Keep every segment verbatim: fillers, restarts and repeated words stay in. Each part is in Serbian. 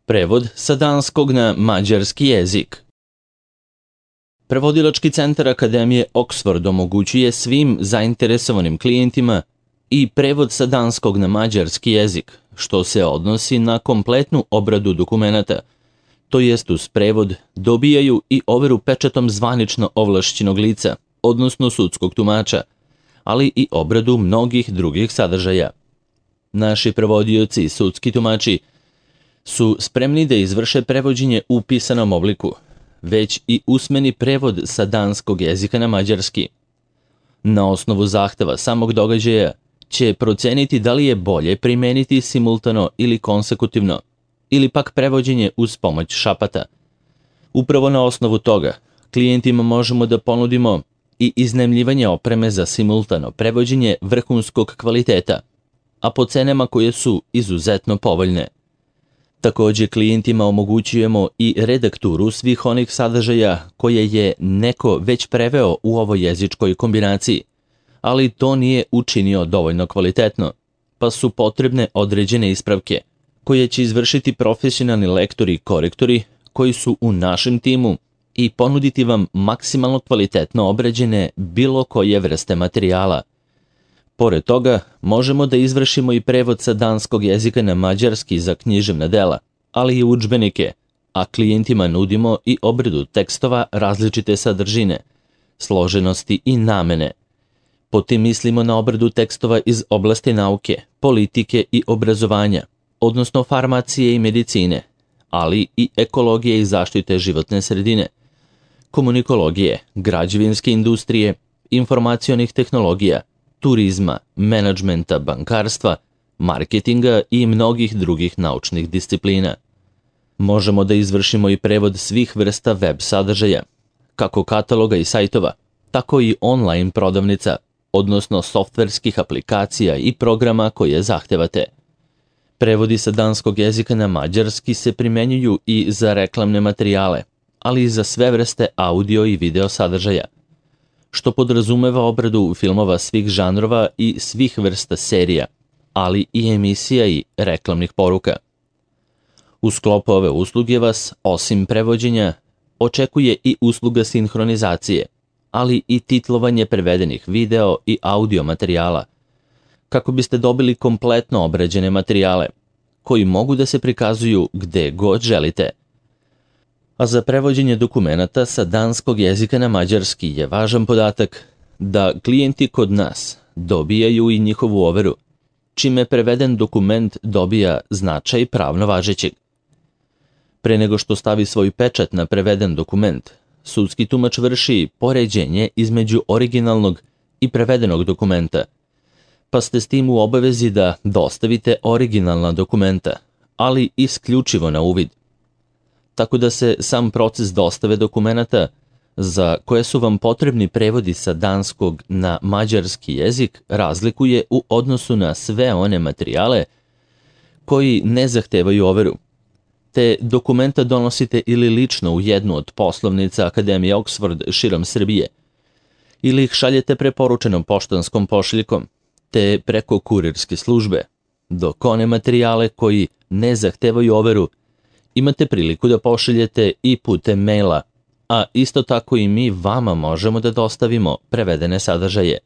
Prevod sa danskog na mađarski jezik. Prevodilački centar Akademije Oxford omogućuje svim zainteresovanim klijentima i prevod sa danskog na mađarski jezik, što se odnosi na kompletnu obradu dokumenata, to jest uz prevod dobijaju i overu pečatom zvanično ovlašćenog lica, odnosno sudskog tumača, ali i obradu mnogih drugih sadržaja. Naši prevodioci i sudski tumači su spremni da izvrše prevođenje u pisanom obliku, već i usmeni prevod sa danskog jezika na mađarski. Na osnovu zahteva samog događaja će proceniti da li je bolje primeniti simultano ili konsekutivno, ili pak prevođenje uz pomoć šapata. Upravo na osnovu toga, klijentima možemo da ponudimo i iznajmljivanje opreme za simultano prevođenje vrhunskog kvaliteta, a po cenama koje su izuzetno povoljne. Također klijentima omogućujemo i redakturu svih onih sadržaja koje je neko već preveo u ovoj jezičkoj kombinaciji, ali to nije učinio dovoljno kvalitetno, pa su potrebne određene ispravke, koje će izvršiti profesionalni lektori i korektori koji su u našem timu i ponuditi vam maksimalno kvalitetno obrađene bilo koje vrste materijala. Pored toga, možemo da izvršimo i prevod sa danskog jezika na mađarski za književna dela, ali i udžbenike, a klijentima nudimo i obradu tekstova različite sadržine, složenosti i namene. Potim mislimo na obradu tekstova iz oblasti nauke, politike i obrazovanja, odnosno farmacije i medicine, ali i ekologije i zaštite životne sredine, komunikologije, građevinske industrije, informacionih tehnologija, turizma, menadžmenta, bankarstva, marketinga i mnogih drugih naučnih disciplina. Možemo da izvršimo i prevod svih vrsta web sadržaja, kako kataloga i sajtova, tako i online prodavnica, odnosno softverskih aplikacija i programa koje zahtevate. Prevodi sa danskog jezika na mađarski se primenjuju i za reklamne materijale, ali i za sve vrste audio i video sadržaja, što podrazumeva obradu filmova svih žanrova i svih vrsta serija, ali i emisija i reklamnih poruka. U sklopu ove usluge vas, osim prevođenja, očekuje i usluga sinhronizacije, ali i titlovanje prevedenih video i audio materijala, kako biste dobili kompletno obrađene materijale, koji mogu da se prikazuju gde god želite. A za prevođenje dokumenata sa danskog jezika na mađarski je važan podatak da klijenti kod nas dobijaju i njihovu overu, čime preveden dokument dobija značaj pravno važećeg. Pre nego što stavi svoj pečat na preveden dokument, sudski tumač vrši poređenje između originalnog i prevedenog dokumenta, pa ste s tim u obavezi da dostavite originalna dokumenta, ali isključivo na uvid. Tako da se sam proces dostave dokumenata, za koje su vam potrebni prevodi sa danskog na mađarski jezik, razlikuje u odnosu na sve one materijale koji ne zahtevaju overu. Te dokumenta donosite ili lično u jednu od poslovnica Akademije Oxford širom Srbije, ili ih šaljete preporučenom poštanskom pošiljkom, te preko kurirske službe, dok one materijale koji ne zahtevaju overu imate priliku da pošaljete i putem maila, a isto tako i mi vama možemo da dostavimo prevedene sadržaje.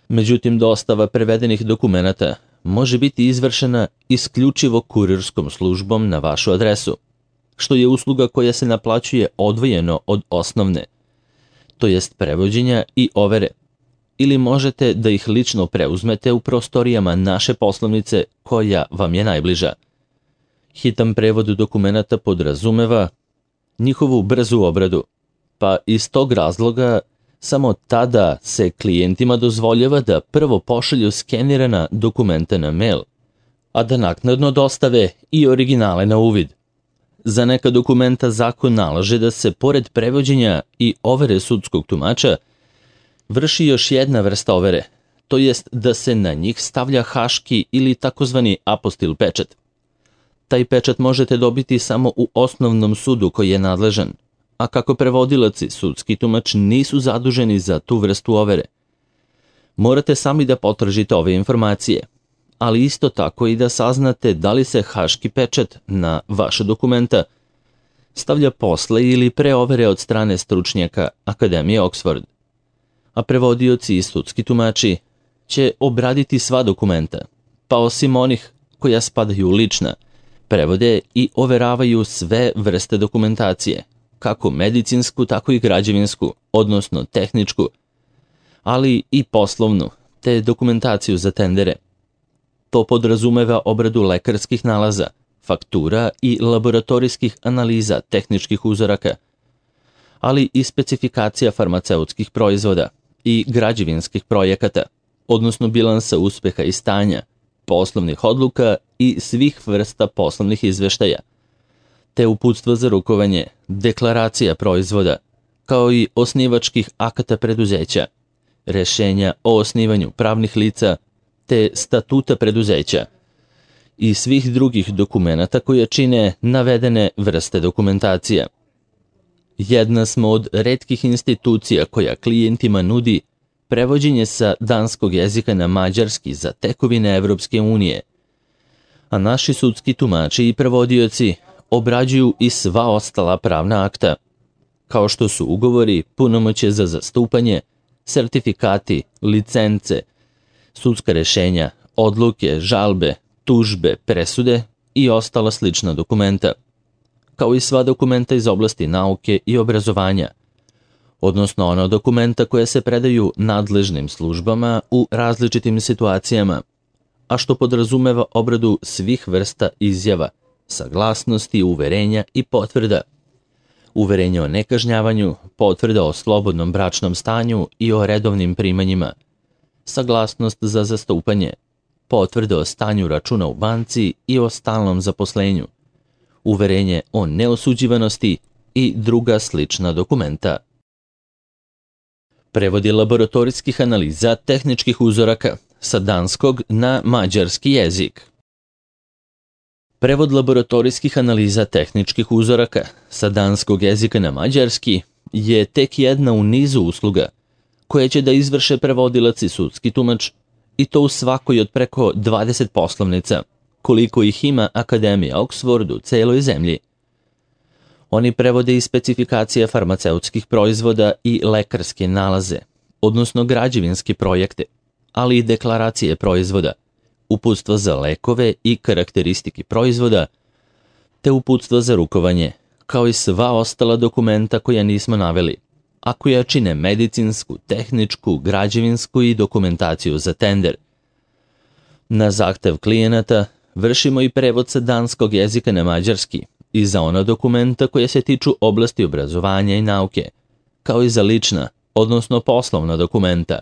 Međutim, dostava prevedenih dokumenata može biti izvršena isključivo kurirskom službom na vašu adresu, što je usluga koja se naplaćuje odvojeno od osnovne, to jest prevođenja i overe, ili možete da ih lično preuzmete u prostorijama naše poslovnice koja vam je najbliža. Hitan prevod dokumenata podrazumeva njihovu brzu obradu, pa iz tog razloga samo tada se klijentima dozvoljava da prvo pošalju skenirana dokumenta na mail, a da naknadno dostave i originale na uvid. Za neka dokumenta zakon nalaže da se pored prevođenja i overe sudskog tumača vrši još jedna vrsta overe, to jest da se na njih stavlja haški ili takozvani apostil pečat. Taj pečat možete dobiti samo u osnovnom sudu koji je nadležan, a kako prevodilac i sudski tumač nisu zaduženi za tu vrstu overe. Morate sami da potražite ove informacije, ali isto tako i da saznate da li se haški pečat na vaše dokumenta stavlja posle ili pre overe od strane stručnjaka Akademije Oxford. A prevodioci i sudski tumači će obraditi sva dokumenta, pa osim onih koja spadaju u lična, prevode i overavaju sve vrste dokumentacije, kako medicinsku, tako i građevinsku, odnosno tehničku, ali i poslovnu, te dokumentaciju za tendere. To podrazumeva obradu lekarskih nalaza, faktura i laboratorijskih analiza tehničkih uzoraka, ali i specifikacija farmaceutskih proizvoda i građevinskih projekata, odnosno bilansa uspeha i stanja, poslovnih odluka i svih vrsta poslovnih izveštaja, te uputstva za rukovanje, deklaracija proizvoda, kao i osnivačkih akata preduzeća, rešenja o osnivanju pravnih lica, te statuta preduzeća i svih drugih dokumenata koje čine navedene vrste dokumentacija. Jedna smo od retkih institucija koja klijentima nudi prevođenje sa danskog jezika na mađarski za tekovine Evropske unije, a naši sudski tumači i prevodioci obrađuju i sva ostala pravna akta, kao što su ugovori, punomoćje za zastupanje, sertifikati, licence, sudska rešenja, odluke, žalbe, tužbe, presude i ostala slična dokumenta, kao i sva dokumenta iz oblasti nauke i obrazovanja, odnosno ona dokumenta koja se predaju nadležnim službama u različitim situacijama, a što podrazumeva obradu svih vrsta izjava, saglasnosti, uverenja i potvrda, uverenja o nekažnjavanju, potvrda o slobodnom bračnom stanju i o redovnim primanjima, saglasnost za zastupanje, potvrde o stanju računa u banci i o stalnom zaposlenju, uverenje o neosuđivanosti i druga slična dokumenta. Prevodi laboratorijskih analiza tehničkih uzoraka sa danskog na mađarski jezik. Prevod laboratorijskih analiza tehničkih uzoraka sa danskog jezika na mađarski je tek jedna u nizu usluga koje će da izvrše prevodilac i sudski tumač, i to u svakoj od preko dvadeset poslovnica, koliko ih ima Akademija Oxford u celoj zemlji. Oni prevode i specifikacije farmaceutskih proizvoda i lekarske nalaze, odnosno građevinske projekte, ali i deklaracije proizvoda, uputstva za lekove i karakteristike proizvoda, te uputstva za rukovanje, kao i sva ostala dokumenta koja nismo naveli, a koja čine medicinsku, tehničku, građevinsku i dokumentaciju za tender. Na zahtev klijenata vršimo i prevod sa danskog jezika na mađarski i za ona dokumenta koja se tiču oblasti obrazovanja i nauke, kao i za lična, odnosno poslovna dokumenta.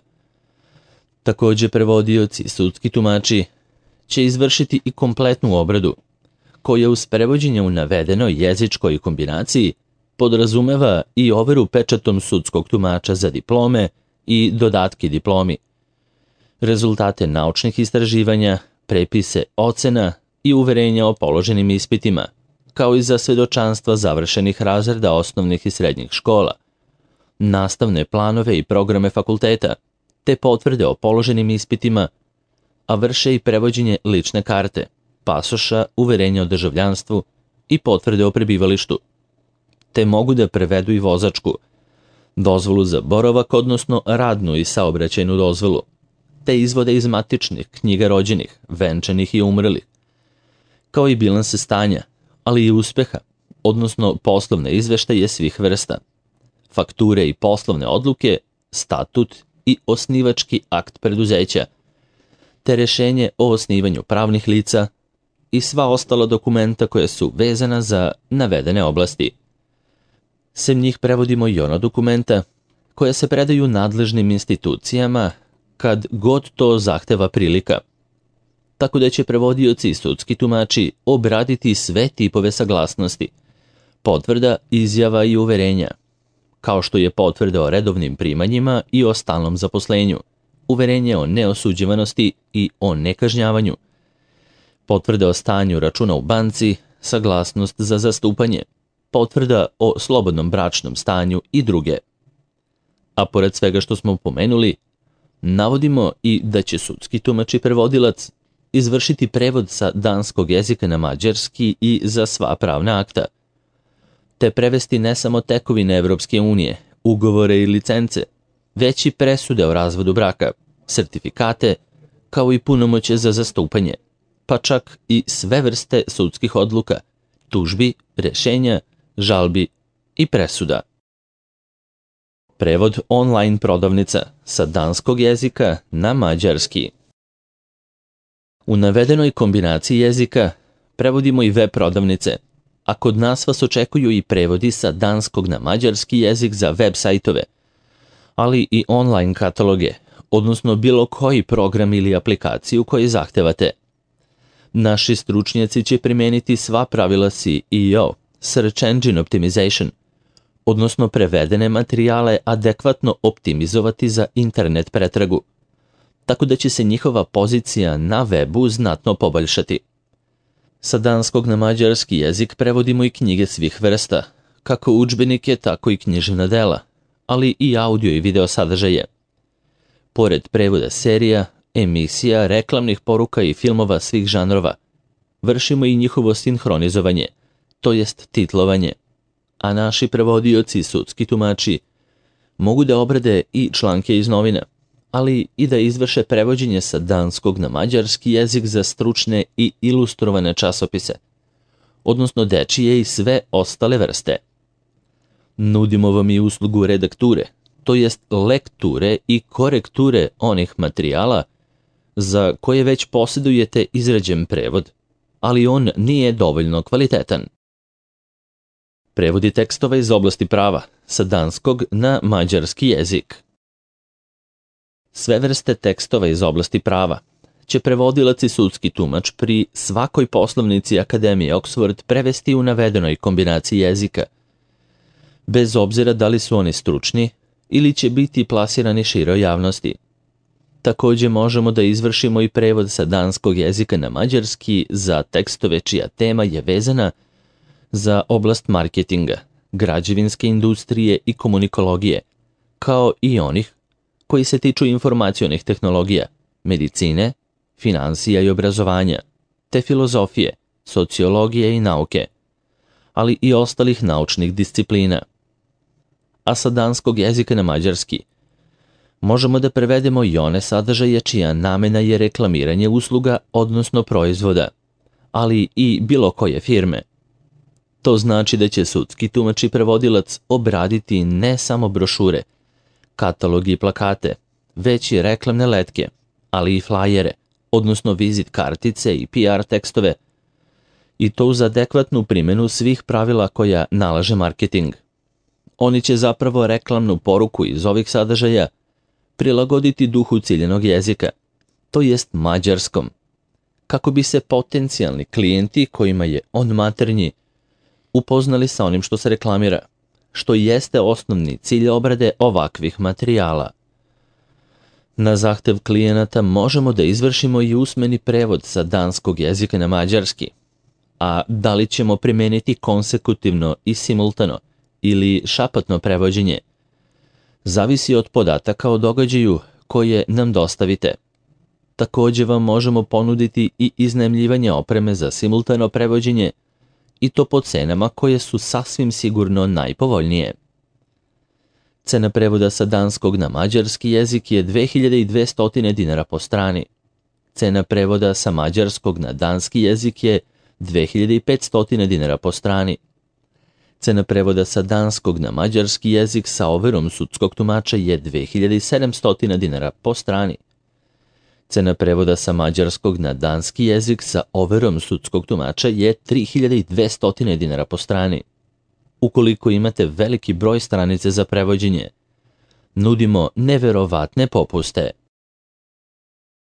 Takođe, prevodioci i sudski tumači će izvršiti i kompletnu obradu, koja uz prevođenje u navedenoj jezičkoj kombinaciji podrazumeva i overu pečatom sudskog tumača za diplome i dodatke diplomi, rezultate naučnih istraživanja, prepise ocena i uverenja o položenim ispitima, kao i za svedočanstva završenih razreda osnovnih i srednjih škola, nastavne planove i programe fakulteta, te potvrde o položenim ispitima, a vrše i prevođenje lične karte, pasoša, uverenja o državljanstvu i potvrde o prebivalištu, te mogu da prevedu i vozačku, dozvolu za boravak, odnosno radnu i saobraćajnu dozvolu, te izvode iz matičnih knjiga rođenih, venčanih i umrlih, kao i bilanse stanja, ali i uspeha, odnosno poslovne izveštaje svih vrsta, fakture i poslovne odluke, statut i osnivački akt preduzeća, te rešenje o osnivanju pravnih lica i sva ostala dokumenta koja su vezana za navedene oblasti. Sem njih prevodimo i ona dokumenta koja se predaju nadležnim institucijama kad god to zahteva prilika, tako da će prevodioci i sudski tumači obraditi sve tipove saglasnosti, potvrda, izjava i uverenja, kao što je potvrda o redovnim primanjima i o stalnom zaposlenju, uverenje o neosuđivanosti i o nekažnjavanju, potvrda o stanju računa u banci, saglasnost za zastupanje, potvrda o slobodnom bračnom stanju i druge. A pored svega što smo pomenuli, navodimo i da će sudski tumač i prevodilac izvršiti prevod sa danskog jezika na mađarski i za sva pravna akta, te prevesti ne samo tekovine Evropske unije, ugovore i licence, već i presude o razvodu braka, sertifikate, kao i punomoćje za zastupanje, pa čak i sve vrste sudskih odluka, tužbi, rešenja, žalbi i presuda. Prevod online prodavnica sa danskog jezika na mađarski. U navedenoj kombinaciji jezika prevodimo i web prodavnice, a kod nas vas očekuju i prevodi sa danskog na mađarski jezik za web sajtove, ali i online kataloge, odnosno bilo koji program ili aplikaciju koji zahtevate. Naši stručnjaci će primeniti sva pravila S E O, Search Engine Optimization, odnosno prevedene materijale adekvatno optimizovati za internet pretragu, tako da će se njihova pozicija na webu znatno poboljšati. Sa danskog na mađarski jezik prevodimo i knjige svih vrsta, kako udžbenike, tako i književna dela, ali i audio i video sadržaje. Pored prevoda serija, emisija, reklamnih poruka i filmova svih žanrova, vršimo i njihovo sinhronizovanje, to jest titlovanje, a naši prevodioci i sudski tumači mogu da obrade i članke iz novina, ali i da izvrše prevođenje sa danskog na mađarski jezik za stručne i ilustrovane časopise, odnosno dečije i sve ostale vrste. Nudimo vam i uslugu redakture, to jest lekture i korekture onih materijala za koje već posjedujete izrađen prevod, ali on nije dovoljno kvalitetan. Prevodi tekstova iz oblasti prava sa danskog na mađarski jezik. Sve vrste tekstova iz oblasti prava će prevodilac i sudski tumač pri svakoj poslovnici Akademije Oxford prevesti u navedenoj kombinaciji jezika, bez obzira da li su oni stručni ili će biti plasirani široj javnosti. Također možemo da izvršimo i prevod sa danskog jezika na mađarski za tekstove čija tema je vezana za oblast marketinga, građevinske industrije i komunikologije, kao i onih koji se tiču informacionih tehnologija, medicine, finansija i obrazovanja, te filozofije, sociologije i nauke, ali i ostalih naučnih disciplina. A sa danskog jezika na mađarski možemo da prevedemo i one sadržaje čija namena je reklamiranje usluga, odnosno proizvoda, ali i bilo koje firme. To znači da će sudski tumač i prevodilac obraditi ne samo brošure, katalogi i plakate, već i reklamne letke, ali i flajere, odnosno vizit kartice i P R tekstove, i to uz adekvatnu primjenu svih pravila koja nalaže marketing. Oni će zapravo reklamnu poruku iz ovih sadržaja prilagoditi duhu ciljenog jezika, to jest mađarskom, kako bi se potencijalni klijenti kojima je on maternji upoznali sa onim što se reklamira, što jeste osnovni cilj obrade ovakvih materijala. Na zahtev klijenata možemo da izvršimo i usmeni prevod sa danskog jezika na mađarski, a da li ćemo primeniti konsekutivno i simultano ili šapatno prevođenje, zavisi od podataka o događaju koje nam dostavite. Također vam možemo ponuditi i iznajmljivanje opreme za simultano prevođenje, i to po cenama koje su sasvim sigurno najpovoljnije. Cena prevoda sa danskog na mađarski jezik je dve hiljade dvesta dinara po strani. Cena prevoda sa mađarskog na danski jezik je dve hiljade petsto dinara po strani. Cena prevoda sa danskog na mađarski jezik sa overom sudskog tumača je dve hiljade sedamsto dinara po strani. Cena prevoda sa mađarskog na danski jezik sa overom sudskog tumača je tri hiljade dvesta dinara po strani. Ukoliko imate veliki broj stranice za prevođenje, nudimo neverovatne popuste.